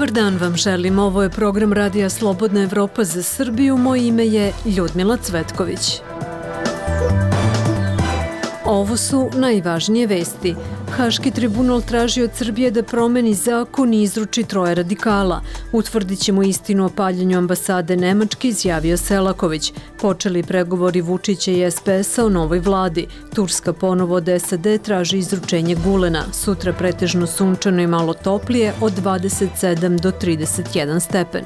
Dobar dan vam želim, ovo je program Radija Slobodna Evropa za Srbiju, moje ime je Ljudmila Cvetković. Ovo su najvažnije vesti. Haški tribunal traži od Srbije da promeni zakon i izruči 3 radikala. Utvrdit ćemo istinu o paljenju ambasade Nemačke, izjavio Selaković. Počeli pregovori Vučića i SPS-a o novoj vladi. Turska ponovo od SAD traži izručenje Gulena. Sutra pretežno sunčano i malo toplije od 27 do 31 stepen.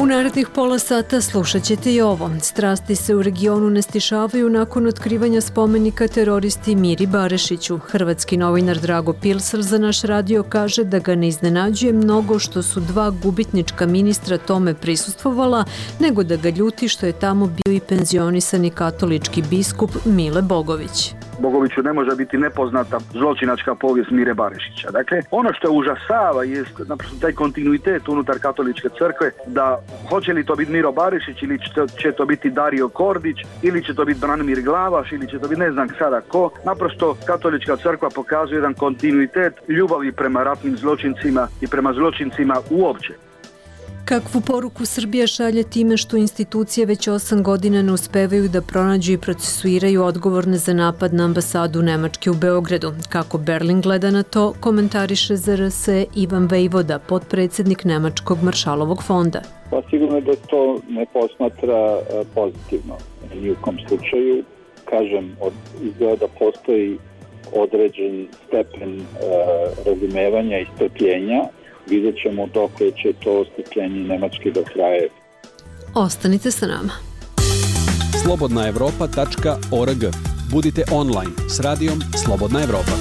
U narednih pola sata slušat ćete i ovo. Strasti se u regionu ne stišavaju nakon otkrivanja spomenika teroristi Miri Barešiću. Hrvatski novinar Drago Pilsel za naš radio kaže da ga ne iznenađuje mnogo što su 2 gubitnička ministra tome prisustvovala, nego da ga ljuti što je tamo bio i penzionisani katolički biskup Mile Bogović. Bogoviću ne može biti nepoznata zločinačka povijest Mire Barešića. Dakle, ono što užasava je naprosto taj kontinuitet unutar katoličke crkve, da hoće li to biti Miro Barešić ili će to biti Dario Kordić ili će to biti Branimir Glavaš ili će to biti ne znam sada ko. Naprosto katolička crkva pokazuje jedan kontinuitet ljubavi prema ratnim zločincima i prema zločincima uopće. Kakvu poruku Srbija šalje time što institucije već 8 godina ne uspevaju da pronađu i procesuiraju odgovorne za napad na ambasadu Nemačke u Beogradu? Kako Berlin gleda na to, komentariše za RS Ivan Vejvoda, potpredsjednik Nemačkog maršalovog fonda. Pa sigurno da to ne posmatra pozitivno. Ni u kom slučaju, kažem, izgleda da postoji određen stepen razumevanja i strpljenja. Vidjet ćemo dok će to strpljenje Nemačke da traje. Ostanite sa nama. Slobodnaevropa.org. Budite online s radijom Slobodna Evropa.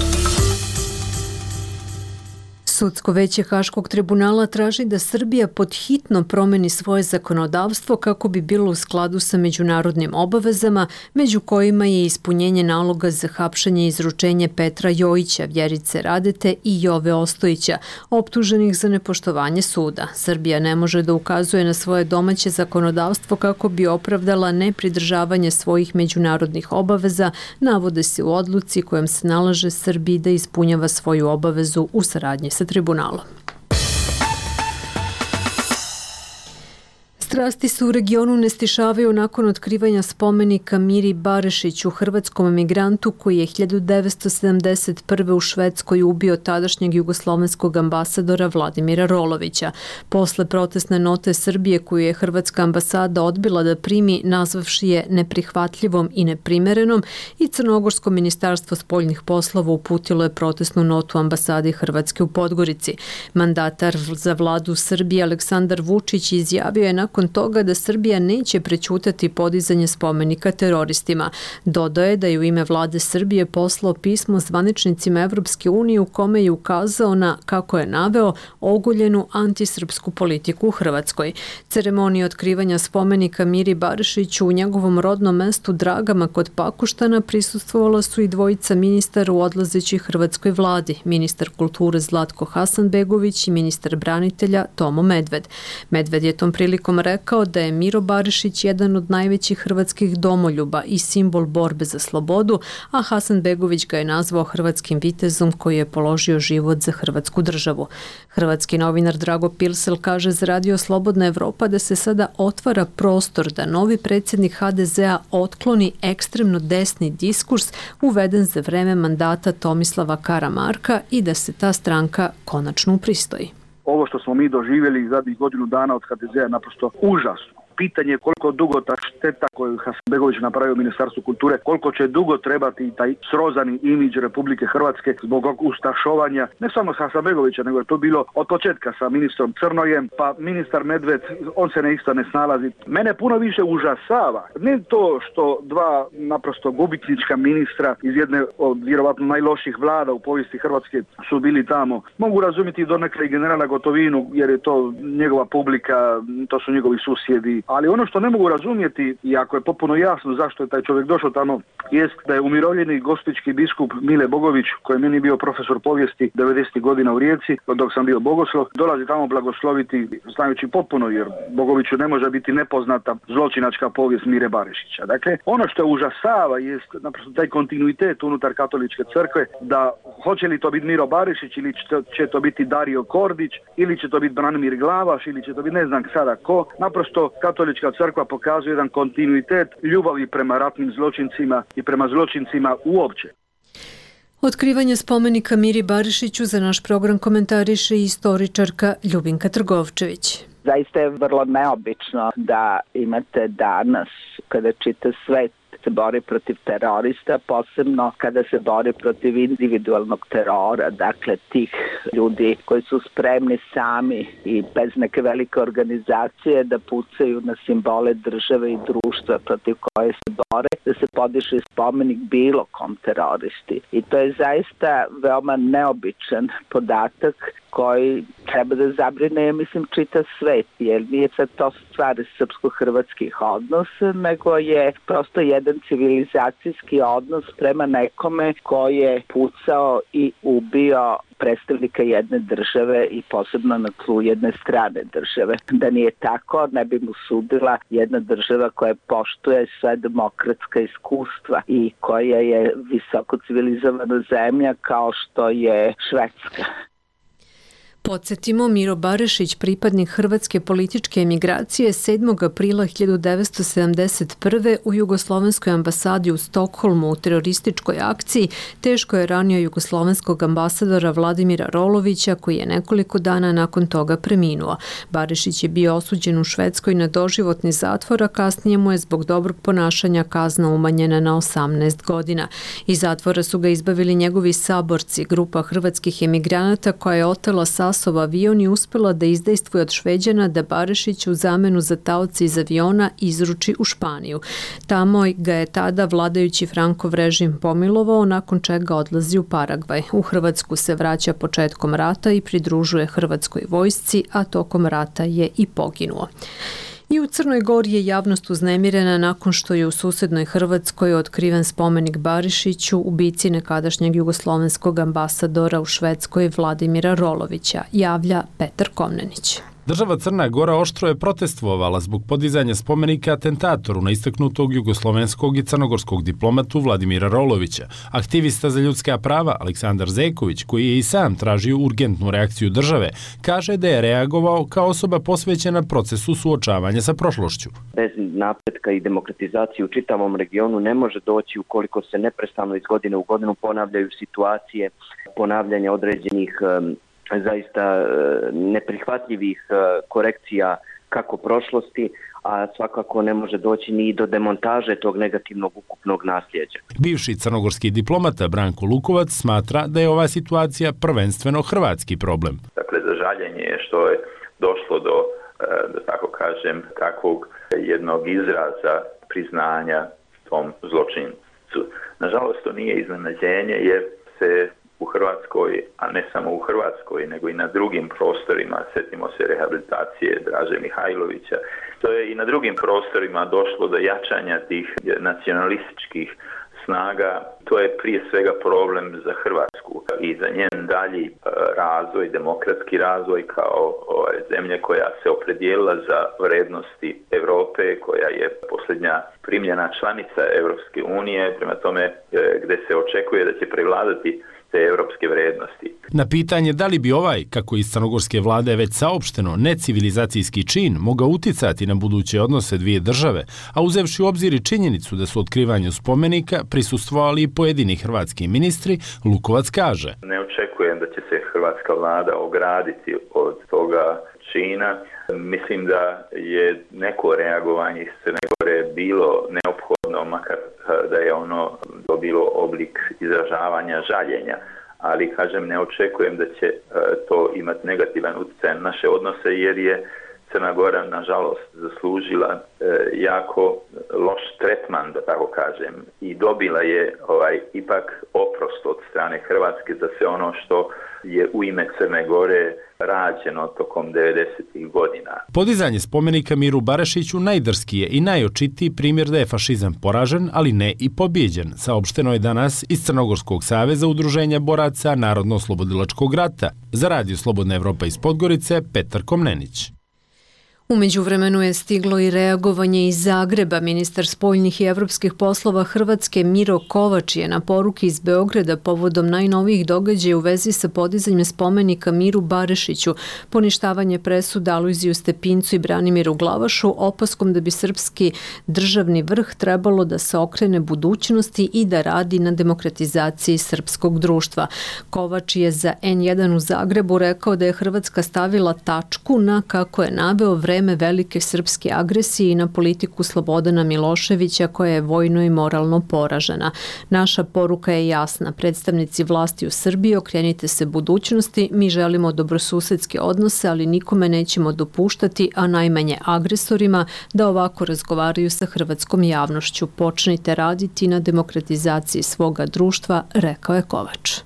Sudsko veće Haškog tribunala traži da Srbija podhitno promeni svoje zakonodavstvo kako bi bilo u skladu sa međunarodnim obavezama, među kojima je ispunjenje naloga za hapšenje i izručenje Petra Jojića, Vjerice Radete i Jove Ostojića, optuženih za nepoštovanje suda. Srbija ne može da ukazuje na svoje domaće zakonodavstvo kako bi opravdala nepridržavanje svojih međunarodnih obaveza, navode se u odluci kojom se nalaže Srbiji da ispunjava svoju obavezu u saradnji sa tribunalom. Strasti se u regionu ne stišavaju nakon otkrivanja spomenika Miri Barešiću, hrvatskom emigrantu koji je 1971. u Švedskoj ubio tadašnjeg jugoslovenskog ambasadora Vladimira Rolovića. Posle protestne note Srbije koju je hrvatska ambasada odbila da primi, nazvavši je neprihvatljivom i neprimerenom, i Crnogorsko ministarstvo spoljnih poslova uputilo je protestnu notu ambasadi Hrvatske u Podgorici. Mandatar za vladu Srbije Aleksandar Vučić izjavio je nakon toga da Srbija neće prećutati podizanje spomenika teroristima. Dodao je da je u ime vlade Srbije poslao pismo zvaničnicima Evropske unije u kome je ukazao na, kako je naveo, ogoljenu antisrpsku politiku u Hrvatskoj. Ceremoniji otkrivanja spomenika Miri Barešiću u njegovom rodnom mestu Dragama kod Pakoštana prisustvovala su i 2 ministara u odlazećoj hrvatskoj vladi, ministar kulture Zlatko Hasanbegović i ministar branitelja Tomo Medved. Medved je tom prilikom rekao da je Miro Barešić jedan od najvećih hrvatskih domoljuba i simbol borbe za slobodu, a Hasanbegović ga je nazvao hrvatskim vitezom koji je položio život za hrvatsku državu. Hrvatski novinar Drago Pilsel kaže za radio Slobodna Evropa da se sada otvara prostor da novi predsjednik HDZ-a otkloni ekstremno desni diskurs uveden za vreme mandata Tomislava Karamarka i da se ta stranka konačno upristoji. Ovo što smo mi doživjeli zadnjih godinu dana od HDZ-a je naprosto užasno. Pitanje je koliko dugo ta šteta koju Hasanbegović napravio u Ministarstvu kulture, koliko će dugo trebati taj srozani imidž Republike Hrvatske zbog ustašovanja, ne samo Hasanbegovića, nego je to bilo od početka sa ministrom Crnojem, pa ministar Medved, on se isto ne snalazi. Mene puno više užasava, ne to što 2 naprosto gubitnička ministra iz jedne od vjerovatno najloših vlada u povijesti Hrvatske su bili tamo. Mogu razumjeti donekle i generala Gotovinu, jer je to njegova publika, to su njegovi susjedi, ali ono što ne mogu razumjeti, iako je potpuno jasno zašto je taj čovjek došao tamo, jest da je umirovljeni gospićki biskup Mile Bogović, koji je meni bio profesor povijesti 90. godina u Rijeci, dok sam bio bogoslov, dolazi tamo blagosloviti, znajući potpuno, jer Bogoviću ne može biti nepoznata zločinačka povijest Mire Barišića. Dakle, ono što je užasava jest naprosto taj kontinuitet unutar katoličke crkve, da hoće li to biti Miro Barišić ili će to biti Dario Kordić ili će to biti Branimir Glavaš ili će to biti ne znam sada ko. Naprosto katolička crkva pokazuje jedan kontinuitet ljubavi prema ratnim zločincima i prema zločincima uopće. Otkrivanje spomenika Miri Barišiću za naš program komentariše i istoričarka Ljubinka Trgovčević. Zaista je vrlo neobično da imate danas, kada čitav svet se bori protiv terorista, posebno kada se bori protiv individualnog terora, dakle tih ljudi koji su spremni sami i bez neke velike organizacije da pucaju na simbole države i društva protiv koje se bore, da se podiže spomenik bilo kom teroristi. I to je zaista veoma neobičan podatak koji treba da zabrine, mislim, čitav svet, jer nije sad to stvar srpsko-hrvatskih odnosa, nego je prosto jedan civilizacijski odnos prema nekome koji je pucao i ubio predstavnika jedne države i posebno na tlu jedne strane države. Da nije tako, ne bi mu sudila jedna država koja poštuje sve demokratska iskustva i koja je visoko civilizovana zemlja kao što je Švedska. Podsjetimo, Miro Barišić, pripadnik hrvatske političke emigracije, 7. aprila 1971. u Jugoslovenskoj ambasadi u Stokholmu u terorističkoj akciji teško je ranio jugoslovenskog ambasadora Vladimira Rolovića, koji je nekoliko dana nakon toga preminuo. Barišić je bio osuđen u Švedskoj na doživotni zatvor, a kasnije mu je zbog dobrog ponašanja kazna umanjena na 18 godina. Iz zatvora su ga izbavili njegovi saborci, grupa hrvatskih emigranata koja je otela Sasov avion i uspjela da izdejstvuje od Šveđana da Barišić u zamenu za taoce iz aviona izruči u Španiju. Tamo ga je tada vladajući Frankov režim pomilovao, nakon čega odlazi u Paragvaj. U Hrvatsku se vraća početkom rata i pridružuje hrvatskoj vojsci, a tokom rata je i poginuo. I u Crnoj Gori je javnost uznemirena nakon što je u susednoj Hrvatskoj otkriven spomenik Barišiću, ubici nekadašnjeg jugoslovenskog ambasadora u Švedskoj Vladimira Rolovića, javlja Petar Komnenić. Država Crna Gora oštro je protestvovala zbog podizanja spomenika atentatoru na istaknutog jugoslovenskog i crnogorskog diplomatu Vladimira Rolovića. Aktivista za ljudska prava Aleksandar Zeković, koji je i sam tražio urgentnu reakciju države, kaže da je reagovao kao osoba posvećena procesu suočavanja sa prošlošću. Bez napretka i demokratizacije u čitavom regionu ne može doći ukoliko se neprestano iz godine u godinu ponavljaju situacije, ponavljanja određenih zaista neprihvatljivih korekcija kako prošlosti, a svakako ne može doći ni do demontaže tog negativnog ukupnog nasljeđa. Bivši crnogorski diplomata Branko Lukovac smatra da je ova situacija prvenstveno hrvatski problem. Dakle, za žaljenje je što je došlo do, da tako kažem, takvog jednog izraza priznanja tom zločincu. Nažalost, to nije iznenađenje jer se u Hrvatskoj, a ne samo u Hrvatskoj, nego i na drugim prostorima, sjetimo se rehabilitacije Draže Mihajlovića, to je i na drugim prostorima došlo do jačanja tih nacionalističkih snaga. To je prije svega problem za Hrvatsku i za njen dalji razvoj, demokratski razvoj kao zemlje koja se opredijelila za vrednosti Europe, koja je posljednja primljena članica Europske unije, prema tome gdje se očekuje da će prevladati te europske vrednosti. Na pitanje da li bi ovaj, kako iz crnogorske vlade već saopšteno, necivilizacijski čin mogao uticati na buduće odnose dvije države, a uzevši u obzir i činjenicu da su otkrivanju spomenika prisustvovali i pojedini hrvatski ministri, Lukovac kaže: Ne očekujem da će se hrvatska vlada ograditi od toga čina. Mislim da je neko reagovanje iz Crne Gore bilo neophodno, makar da je ono dobilo oblik izražavanja žaljenja, ali kažem ne očekujem da će to imati negativan utjecaj na naše odnose jer je Crna Gora nažalost zaslužila jako loš tretman, da tako kažem, i dobila je ipak oprost od strane Hrvatske za sve ono što je u ime Crne Gore rađeno tokom 90. godina. Podizanje spomenika Miru Barišiću najdrskiji je i najočitiji primjer da je fašizam poražen, ali ne i pobjeđen, saopšteno je danas iz Crnogorskog saveza udruženja boraca Narodno-oslobodilačkog rata. Za Radio Slobodna Evropa iz Podgorice, Petar Komnenić. U međuvremenu je stiglo i reagovanje iz Zagreba. Ministar spoljnih i evropskih poslova Hrvatske Miro Kovač je na poruki iz Beograda povodom najnovijih događaja u vezi sa podizanjem spomenika Miru Barišiću, poništavanje presuda Alojziju Stepincu i Branimiru Glavašu, opaskom da bi srpski državni vrh trebalo da se okrene budućnosti i da radi na demokratizaciji srpskog društva. Kovač je za N1 u Zagrebu rekao da je Hrvatska stavila tačku na, kako je naveo, vreme velike srpske agresije i na politiku Slobodana Miloševića koja je vojno i moralno poražena. Naša poruka je jasna. Predstavnici vlasti u Srbiji, okrenite se budućnosti, mi želimo dobrosusedske odnose, ali nikome nećemo dopuštati, a najmanje agresorima, da ovako razgovaraju sa hrvatskom javnošću. Počnite raditi na demokratizaciji svoga društva, rekao je Kovač.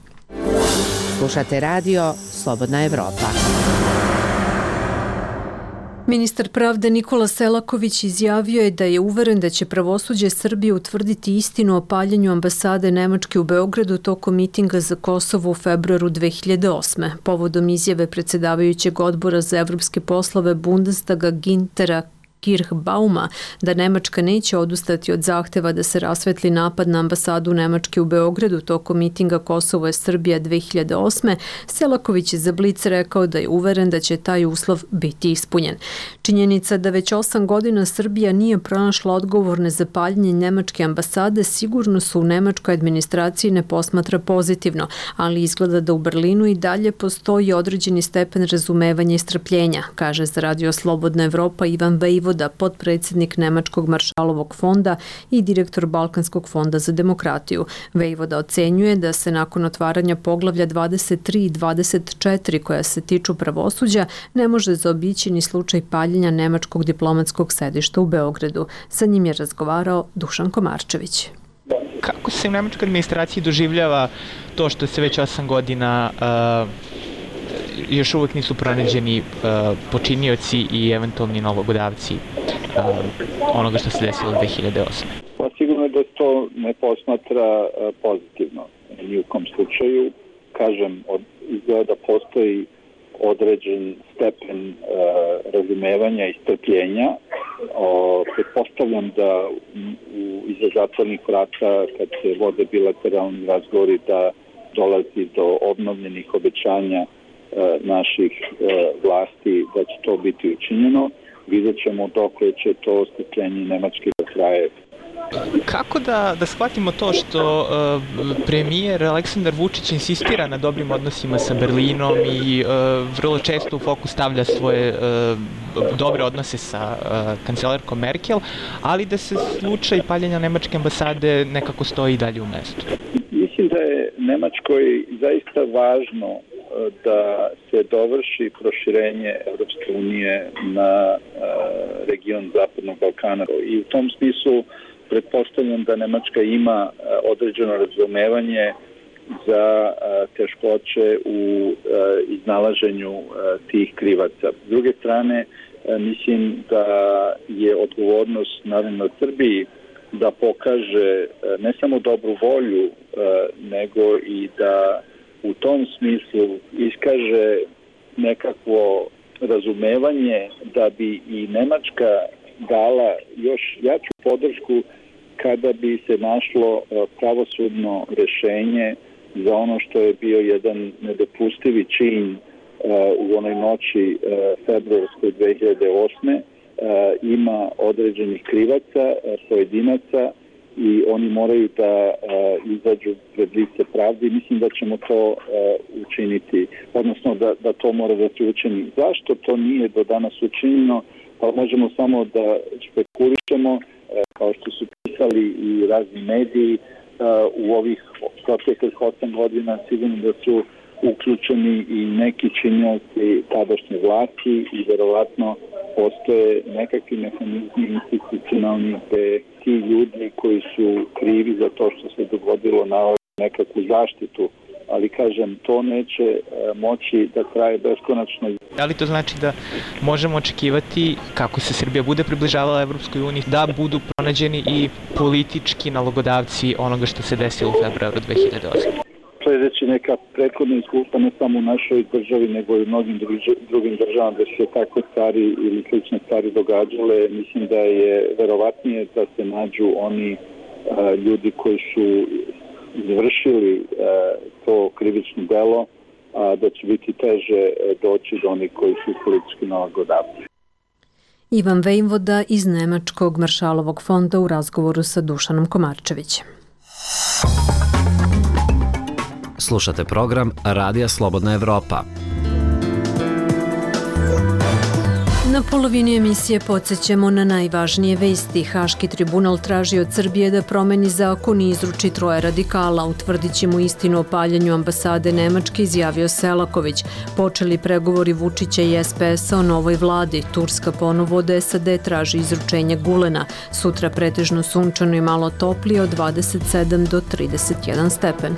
Slušate radio Slobodna Evropa. Ministar pravde Nikola Selaković izjavio je da je uveren da će pravosuđe Srbije utvrditi istinu o paljenju ambasade Nemačke u Beogradu tokom mitinga za Kosovo u februaru 2008. Povodom izjave predsjedavajućeg odbora za evropske poslove Bundestaga Gintera Kirchbauma da Nemačka neće odustati od zahteva da se rasvetli napad na ambasadu Nemačke u Beogradu tokom mitinga Kosovo je Srbija 2008. Selaković je za Blic rekao da je uveren da će taj uslov biti ispunjen. Činjenica da već 8 godina Srbija nije pronašla odgovorne za paljenje nemačke ambasade sigurno su u nemačkoj administraciji ne posmatra pozitivno, ali izgleda da u Berlinu i dalje postoji određeni stepen razumevanja i strpljenja, kaže za Radio Slobodna Evropa Ivan Vejvoda, potpredsjednik Nemačkog maršalovog fonda i direktor Balkanskog fonda za demokratiju. Vejvoda ocenjuje da se nakon otvaranja poglavlja 23 i 24 koja se tiču pravosuđa ne može zaobići ni slučaj paljenja nemačkog diplomatskog sedišta u Beogradu. Sa njim je razgovarao Dušan Komarčević. Kako se u nemačkoj administraciji doživljava to što se već 8 godina još uvijek nisu pronađeni počinioci i eventualni nalogodavci onoga što se desilo 2008. Pa sigurno je da to ne posmatra pozitivno. Ni u kom slučaju, kažem, izgleda da postoji određen stepen razumevanja i strpljenja. Pretpostavljam da iza zatvornih vrata, kad se vode bilateralni razgovori, da dolazi do obnovljenih obećanja naših vlasti da će to biti učinjeno. Vidjet ćemo dok će to strpljenje Nemačke da traje. Kako da shvatimo to što premijer Aleksandar Vučić insistira na dobrim odnosima sa Berlinom i vrlo često u fokus stavlja svoje dobre odnose sa kancelarkom Merkel, ali da se slučaj paljenja nemačke ambasade nekako stoji dalje u mestu? Mislim da je Nemačkoj zaista važno da se dovrši proširenje Evropske unije na region Zapadnog Balkana. I u tom smislu pretpostavljam da Nemačka ima određeno razumevanje za teškoće u iznalaženju tih krivaca. S druge strane, mislim da je odgovornost naravno Srbiji da pokaže ne samo dobru volju, nego i da u tom smislu iskaže nekakvo razumevanje da bi i Nemačka dala još jaču podršku kada bi se našlo pravosudno rešenje za ono što je bio jedan nedopustivi čin u onoj noći februarskoj 2008. Ima određenih krivaca, pojedinaca i oni moraju da izađu pred lice pravde. Mislim da ćemo to učiniti, odnosno da to mora da se učini. Zašto to nije do danas učinjeno? Pa možemo samo da špekulišemo, kao što su pisali i razni mediji u ovih proteklih 8 godina, sigurno da su uključeni i neki činioci tadašnje vlasti i verovatno postoje nekakvi mehanizmi institucionalni gde ti ljudi koji su krivi za to što se dogodilo nalaze nekakvu zaštitu, ali kažem, to neće moći da traje beskonačno. Da li to znači da možemo očekivati, kako se Srbija bude približavala Evropskoj uniji, da budu pronađeni i politički nalogodavci onoga što se desilo u februaru 2008? Sledeći neka prethodna iskustva ne samo u našoj državi, nego i u mnogim drugim državama gde se takve stvari ili slične stvari događale, mislim da je verovatnije da se nađu oni ljudi koji su izvršili to krivično delo, a da će biti teže doći do onih koji su politički nalagodavci. Ivan Vejvoda iz Nemačkog Maršalovog fonda u razgovoru sa Dušanom Komarčevićem. Slušate program Radija Slobodna Evropa. Na polovini emisije podsjećamo na najvažnije vesti. Haški tribunal traži od Srbije da promeni zakon i izruči 3 radikala. Utvrdit će mu istinu o paljenju ambasade Nemačke, izjavio Selaković. Počeli pregovori Vučića i SPS-a o novoj vladi. Turska ponovo od SAD traži izručenje Gulena. Sutra pretežno sunčano i malo toplije od 27 do 31 stepen.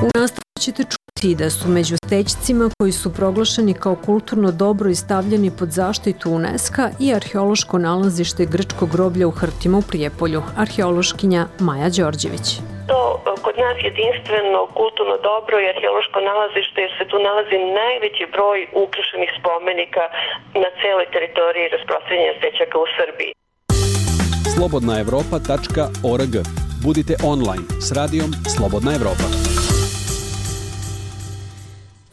U nastavku ćete čuti da su među stećcima koji su proglašeni kao kulturno dobro i stavljeni pod zaštitu UNESCO i arheološko nalazište grčkog groblja u Hrtima u Prijepolju. Arheološkinja Maja Đorđević. To kod nas jedinstveno kulturno dobro i arheološko nalazište jer se tu nalazi najveći broj ukrašenih spomenika na celoj teritoriji rasprostranjenja stećaka u Srbiji. slobodnaevropa.org. Budite online s radijom Slobodna Evropa.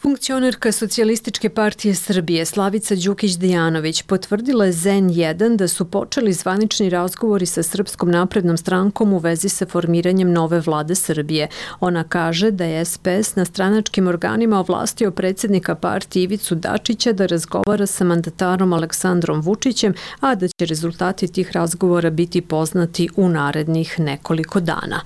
Funkcionerka Socijalističke partije Srbije Slavica Đukić-Dejanović potvrdila je ZN1 da su počeli zvanični razgovori sa Srpskom naprednom strankom u vezi sa formiranjem nove vlade Srbije. Ona kaže da je SPS na stranačkim organima ovlastio predsjednika partije Ivicu Dačića da razgovara sa mandatarom Aleksandrom Vučićem, a da će rezultati tih razgovora biti poznati u narednih nekoliko dana.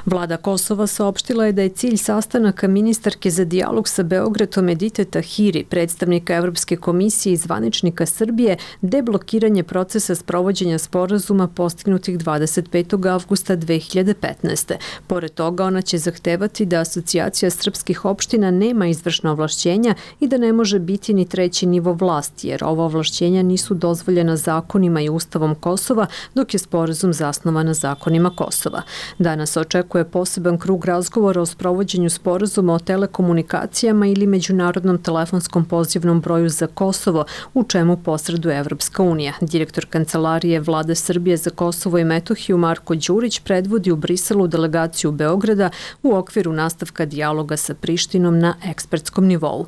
Vlada Kosova saopštila je da je cilj sastanaka ministarke za dijalog sa Beogradom Edite Tahiri, predstavnika Evropske komisije i zvaničnika Srbije, deblokiranje procesa sprovođenja sporazuma postignutih 25. avgusta 2015. Pored toga, ona će zahtevati da Asocijacija srpskih opština nema izvršna ovlašćenja i da ne može biti ni treći nivo vlasti, jer ova ovlašćenja nisu dozvoljena zakonima i ustavom Kosova, dok je sporazum zasnovan na zakonima Kosova. Danas očekuje poseban krug razgovora o sprovođenju sporazuma o telekomunikacijama ili međunarodnom telefonskom pozivnom broju za Kosovo, u čemu posreduje Evropska unija. Direktor Kancelarije Vlade Srbije za Kosovo i Metohiju Marko Đurić predvodi u Briselu delegaciju Beograda u okviru nastavka dijaloga sa Prištinom na ekspertskom nivou.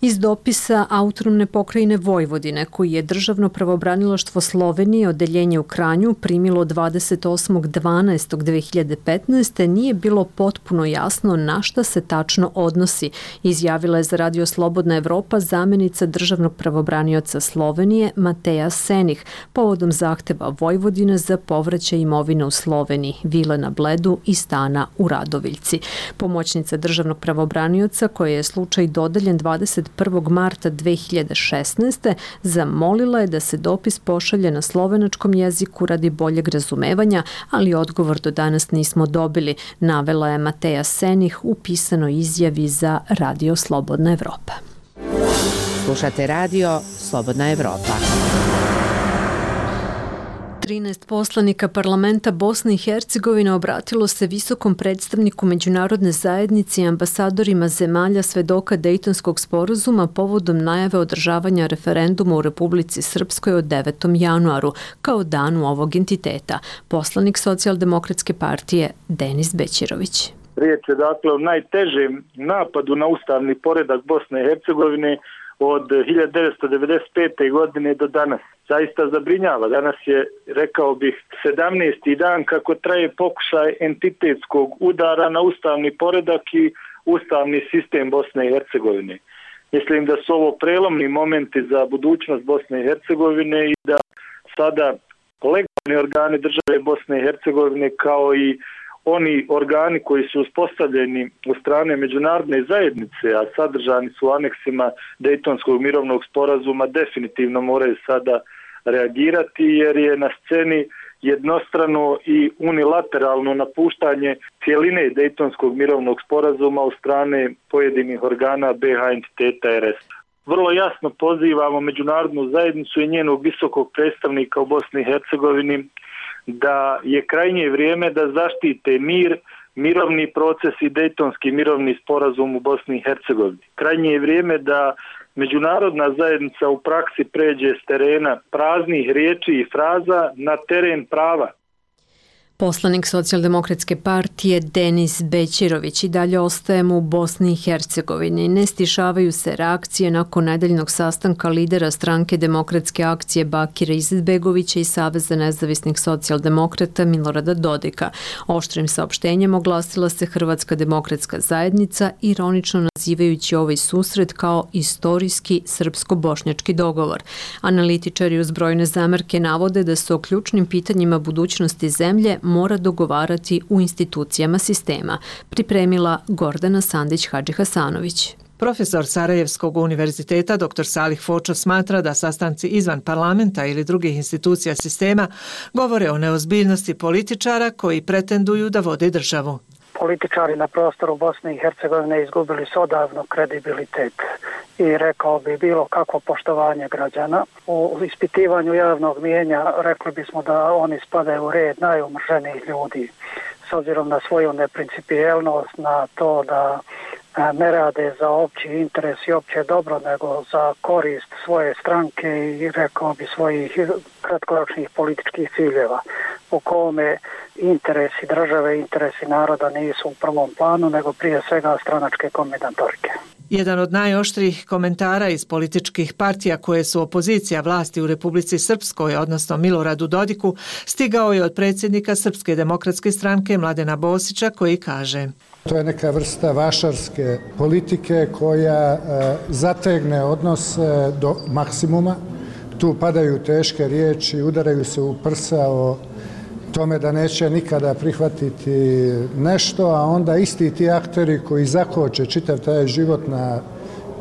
Iz dopisa Autonomne pokrajine Vojvodine, koji je Državno pravobranilaštvo Slovenije odeljenje u Kranju primilo 28.12.2015. nije bilo potpuno jasno na šta se tačno odnosi, izjavila je za Radio Slobodna Evropa zamenica državnog pravobranioca Slovenije Mateja Senih povodom zahteva Vojvodine za povraćaj imovine u Sloveniji, vile na Bledu i stana u Radoviljci. Pomoćnica državnog pravobranioca, koja je slučaj dodeljen 21. marta 2016. zamolila je da se dopis pošalje na slovenačkom jeziku radi boljeg razumevanja, ali odgovor do danas nismo dobili, navela je Mateja Senih u pisanoj izjavi za Radio Slobodna Evropa. Slušate radio Slobodna Evropa. 13 poslanika parlamenta Bosne i Hercegovine obratilo se visokom predstavniku međunarodne zajednice i ambasadorima zemalja svedoka Dejtonskog sporazuma povodom najave održavanja referenduma u Republici Srpskoj od 9. januaru, kao danu ovog entiteta. Poslanik Socijaldemokratske partije Denis Bećirović. Riječ je dakle o najtežem napadu na ustavni poredak Bosne i Hercegovine od 1995. godine do danas. Zaista zabrinjava. Danas je, rekao bih, 17. dan kako traje pokušaj entitetskog udara na ustavni poredak i ustavni sistem Bosne i Hercegovine. Mislim da su ovo prelomni momenti za budućnost Bosne i Hercegovine i da sada legalni organi države Bosne i Hercegovine kao i oni organi koji su uspostavljeni od strane međunarodne zajednice, a sadržani su u aneksima Dejtonskog mirovnog sporazuma, definitivno moraju sada reagirati, jer je na sceni jednostrano i unilateralno napuštanje cijeline Dejtonskog mirovnog sporazuma od strane pojedinih organa BiH entiteta RS. Vrlo jasno pozivamo međunarodnu zajednicu i njenog visokog predstavnika u Bosni i Hercegovini da je krajnje vrijeme da zaštite mir, mirovni proces i Dejtonski mirovni sporazum u Bosni i Hercegovini. Krajnje je vrijeme da međunarodna zajednica u praksi pređe s terena praznih riječi i fraza na teren prava. Poslanik Socijaldemokratske partije Denis Bećirović i dalje ostajemo u Bosni i Hercegovini. Ne stišavaju se reakcije nakon nedeljnog sastanka lidera stranke Demokratske akcije Bakira Izetbegovića i Saveza nezavisnih socijaldemokrata Milorada Dodika. Oštrim saopštenjem oglasila se Hrvatska demokratska zajednica, ironično nazivajući ovaj susret kao istorijski srpsko-bošnjački dogovor. Analitičari uz brojne zamerke navode da se o ključnim pitanjima budućnosti zemlje mora dogovarati u institucijama sistema, pripremila Gordana Sandić-Hadžihasanović. Profesor Sarajevskog univerziteta dr. Salih Fočo smatra da sastanci izvan parlamenta ili drugih institucija sistema govore o neozbiljnosti političara koji pretenduju da vode državu. Političari na prostoru Bosne i Hercegovine izgubili su odavno kredibilitet i rekao bi bilo kakvo poštovanje građana. U ispitivanju javnog mijenja rekli bismo da oni spadaju u red najumrženijih ljudi s obzirom na svoju neprincipijelnost, na to da ne rade za opći interes i opće dobro, nego za korist svoje stranke i rekao bi svojih kratkoročnih političkih ciljeva, u kome interesi države, interesi naroda nisu u prvom planu, nego prije svega stranačke kombinatorike. Jedan od najoštrijih komentara iz političkih partija koje su opozicija vlasti u Republici Srpskoj, odnosno Miloradu Dodiku, stigao je od predsjednika Srpske demokratske stranke Mladena Bosića, koji kaže: To je neka vrsta vašarske politike koja zategne odnos do maksimuma. Tu padaju teške riječi, udaraju se u prsa o tome da neće nikada prihvatiti nešto, a onda isti ti akteri koji zakoče čitav taj život na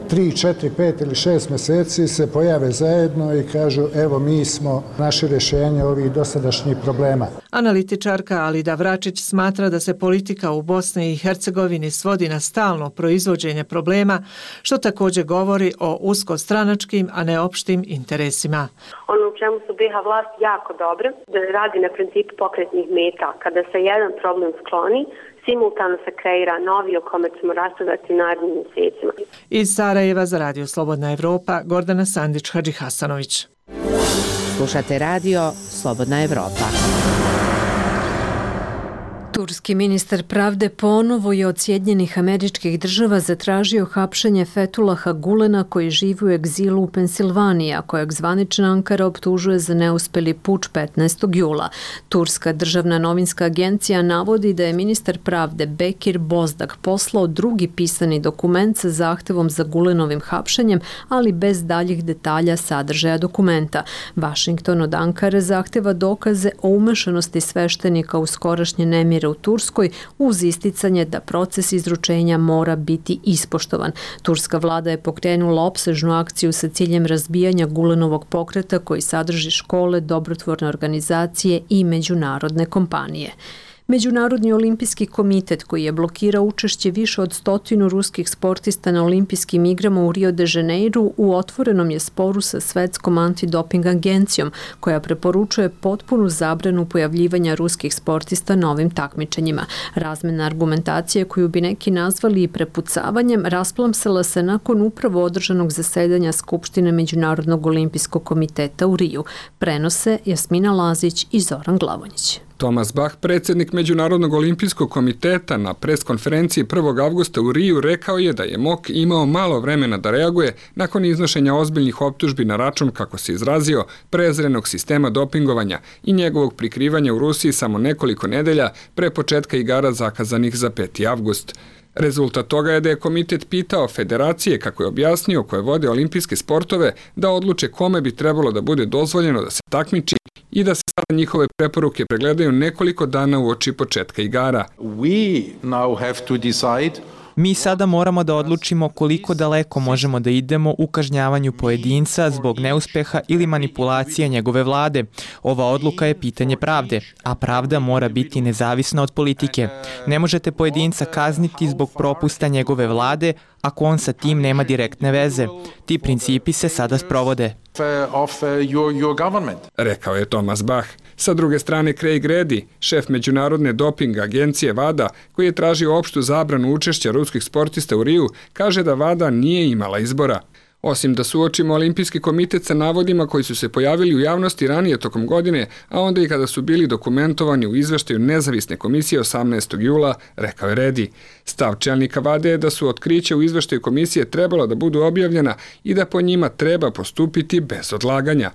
3, 4, 5 ili 6 mjeseci se pojave zajedno i kažu evo mi smo naše rješenje ovih dosadašnjih problema. Analitičarka Alida Vračić smatra da se politika u Bosni i Hercegovini svodi na stalno proizvođenje problema, što također govori o uskostranačkim, a ne opštim interesima. Ono u čemu su BiH vlast jako dobre, da radi na principu pokretnih meta. Kada se jedan problem skloni, simultano se kreira novi o kome ćemo raspravljati narednim mjesecima. Iz Sarajeva za Radio Slobodna Evropa, Gordana Sandić-Hadžihasanović. Slušate Radio Slobodna Evropa. Turski ministar pravde ponovo je od Sjedinjenih Američkih Država zatražio hapšenje Fetulaha Gulena koji živi u egzilu u Pensilvaniji, a kojeg zvanična Ankara optužuje za neuspeli puč 15. jula. Turska državna novinska agencija navodi da je ministar pravde Bekir Bozdak poslao drugi pisani dokument sa zahtevom za Gulenovim hapšenjem, ali bez daljih detalja sadržaja dokumenta. Washington od Ankare zahteva dokaze o umešanosti sveštenika u skorašnje nemire u Turskoj uz isticanje da proces izručenja mora biti ispoštovan. Turska vlada je pokrenula opsežnu akciju sa ciljem razbijanja Gulenovog pokreta koji sadrži škole, dobrotvorne organizacije i međunarodne kompanije. Međunarodni olimpijski komitet koji je blokirao učešće više od 100 ruskih sportista na olimpijskim igrama u Rio de Janeiru u otvorenom je sporu sa Svetskom antidoping agencijom koja preporučuje potpunu zabranu pojavljivanja ruskih sportista na ovim takmičenjima. Razmena argumentacije koju bi neki nazvali i prepucavanjem rasplamsala se nakon upravo održanog zasedanja Skupštine Međunarodnog olimpijskog komiteta u Riju. Prenose Jasmina Lazić i Zoran Glavonjić. Thomas Bach, predsjednik Međunarodnog olimpijskog komiteta, na preskonferenciji 1. avgusta u Riju rekao je da je MOK imao malo vremena da reaguje nakon iznošenja ozbiljnih optužbi na račun, kako se izrazio, prezrenog sistema dopingovanja i njegovog prikrivanja u Rusiji samo nekoliko nedelja pre početka igara zakazanih za 5. avgust. Rezultat toga je da je komitet pitao federacije, kako je objasnio, koje vode olimpijske sportove, da odluče kome bi trebalo da bude dozvoljeno da se takmiči i da se sada njihove preporuke pregledaju nekoliko dana uoči početka igara. Mi sada moramo da odlučimo koliko daleko možemo da idemo u kažnjavanju pojedinca zbog neuspeha ili manipulacije njegove vlade. Ova odluka je pitanje pravde, a pravda mora biti nezavisna od politike. Ne možete pojedinca kazniti zbog propusta njegove vlade ako on sa tim nema direktne veze. Ti principi se sada sprovode. Rekao je Thomas Bach. Sa druge strane, Craig Reddy, šef međunarodne doping agencije WADA, koji je tražio opštu zabranu učešća ruskih sportista u Riju, kaže da WADA nije imala izbora. Osim da suočimo Olimpijski komitet sa navodima koji su se pojavili u javnosti ranije tokom godine, a onda i kada su bili dokumentovani u izveštaju nezavisne komisije 18. jula, rekao je Reddy. Stav čelnika WADA je da su otkrića u izveštaju komisije trebalo da budu objavljena i da po njima treba postupiti bez odlaganja.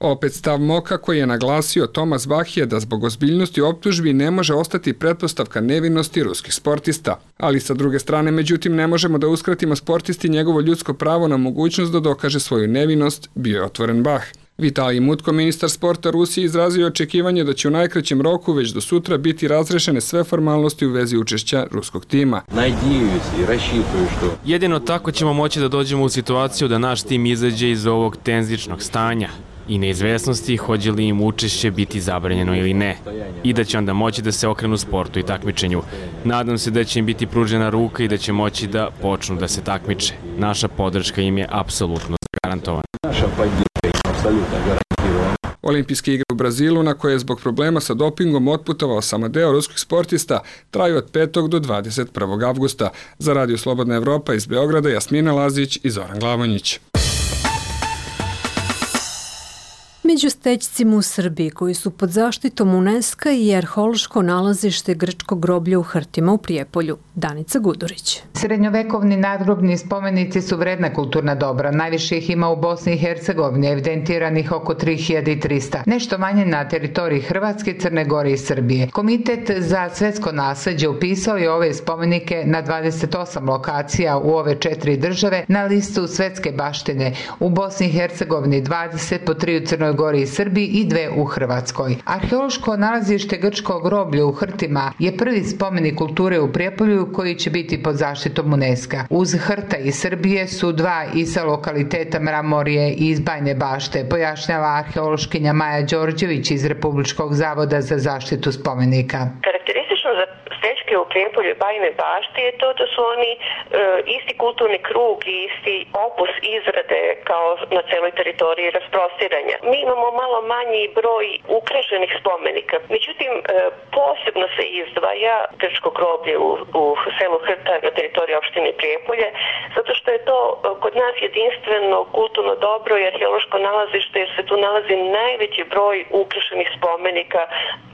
Opet stav MOK-a koji je naglasio Thomas Bach je da zbog ozbiljnosti optužbi ne može ostati pretpostavka nevinosti ruskih sportista. Ali sa druge strane, međutim, ne možemo da uskratimo sportisti njegovo ljudsko pravo na mogućnost da dokaže svoju nevinost, bio je otvoren Bach. Vitalij Mutko, ministar sporta Rusije, izrazio očekivanje da će u najkraćem roku već do sutra biti razrešene sve formalnosti u vezi učešća ruskog tima. Jedino tako ćemo moći da dođemo u situaciju da naš tim izađe iz ovog tenzičnog stanja i neizvesnosti hoće li im učešće biti zabranjeno ili ne i da će onda moći da se okrenu sportu i takmičenju. Nadam se da će im biti pružena ruka i da će moći da počnu da se takmiče. Naša podrška im je apsolutno zagarantovana. Olimpijske igre u Brazilu, na koje je zbog problema sa dopingom otputovao samo deo ruskih sportista, traju od 5. do 21. avgusta. Za Radio Slobodna Evropa iz Beograda, Jasmina Lazić i Zoran Glavonjić. Među stećcima u Srbiji koji su pod zaštitom UNESCO i arheološko nalazište grčko groblje u Hrtima u Prijepolju. Danica Gudurić. Srednjovekovni nadgrobni spomenici su vredna kulturna dobra. Najviše ih ima u Bosni i Hercegovini, evidentiranih oko 3300. Nešto manje na teritoriji Hrvatske, Crne Gore i Srbije. Komitet za svetsko nasleđe upisao je ove spomenike na 28 lokacija u ove 4 države na listu svetske baštine. U Bosni i Hercegovini 20, po 3 u Crnoj Gori i Srbiji i 2 u Hrvatskoj. Arheološko nalazište grčko groblje u Hrtima je prvi spomenik kulture u Prijepolju koji će biti pod zaštitom UNESCO. Uz Hrta i Srbije su 2 i sa lokaliteta Mramorje i iz Bajne Bašte, pojašnjava arheološkinja Maja Đorđević iz Republičkog zavoda za zaštitu spomenika. Karakteristično za stećke u Prijepolju i Bajne Bašte je to da su oni isti kulturni krug i isti opus izrade kao na celoj teritoriji rasprostiranja. Mi imamo malo manji broj ukrašenih spomenika. Međutim, posebno se izdvaja grčko groblje u selu Hrta na teritoriji opštine Prijepolje, zato što je to kod nas jedinstveno kulturno dobro i arheološko nalazište, jer se tu nalazi najveći broj ukrašenih spomenika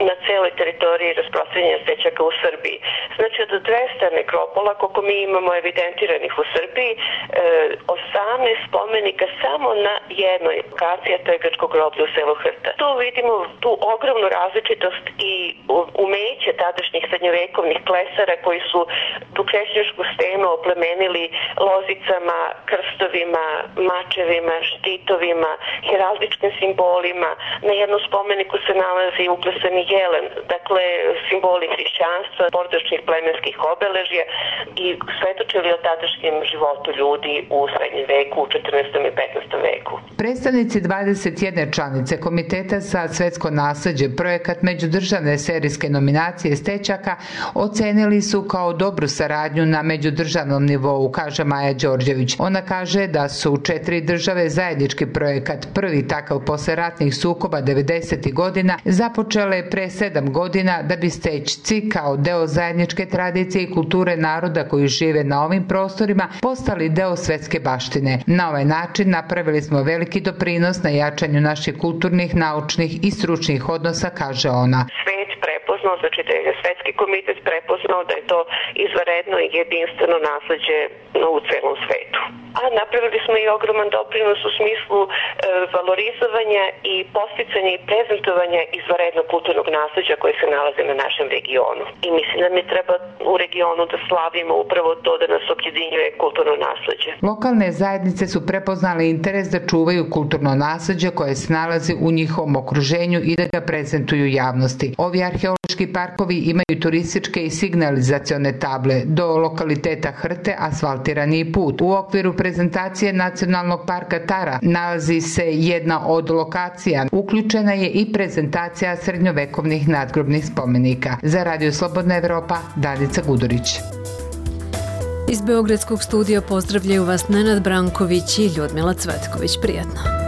na celoj teritoriji rasprostranjanja stećaka u Srbiji. Znači od 200 nekropola, koliko mi imamo evidentiranih u Srbiji, 18 spomenika samo na jednoj lokaciji, a to je grčko groblje u selu Hrta. Tu vidimo tu ogromnu različitost i umeće tadašnjih srednjovekovnih klesara koji su tu krećnjačku stenu oplemenili lozicama, krstovima, mačevima, štitovima, heraldičkim simbolima. Na jednom spomeniku se nalazi uklesani jelen, dakle simboli hrišćanstva, porodičnih plemenskih obeležja i svetočili o tadašnjem životu ljudi u srednjem veku, u 14. i 15. veku. Predstavnici 21 članice Komiteta za svetsko nasleđe projekat međudržavne serijske nominacije stećaka ocenili su kao dobru saradnju na međudržavnom nivou, kaže Maja Đorđević. Ona kaže da su 4 države zajednički projekat, prvi takav posle ratnih sukoba 90. godina, započele pre 7 godina da bi stećci kao deo zajedničke tradicije i kulture naroda koji žive na ovim prostorima postali deo svetske baštine. Na ovaj način napravili smo veliki doprinos na jačanju naših kulturnih, naučnih i stručnih odnosa, kaže ona. Svet prepoznao znači da je Svetski komitet prepoznao da je to izvanredno i jedinstveno nasleđe u celom svetu. A napravili smo i ogroman doprinos u smislu valorizovanja i posticanja i prezentovanja izvanrednog kulturnog nasleđa koje se nalaze na našem regionu. I mislim da mi treba u regionu da slavimo upravo to da nas objedinjuje kulturno nasleđe. Lokalne zajednice su prepoznale interes da čuvaju kulturno nasleđe koje se nalazi u njihovom okruženju i da ga prezentuju javnosti. Ovi arheološki parkovi imaju turističke i signalizacione table, do lokaliteta Hrte asfaltirani put. U okviru prezentacije Nacionalnog parka Tara nalazi se jedna od lokacija. Uključena je i prezentacija srednjovekovnih nadgrobnih spomenika. Za Radio Slobodna Evropa, Danica Gudurić. Iz Beogradskog studija pozdravljaju vas Nenad Branković i Ljudmila Cvetković. Prijatno.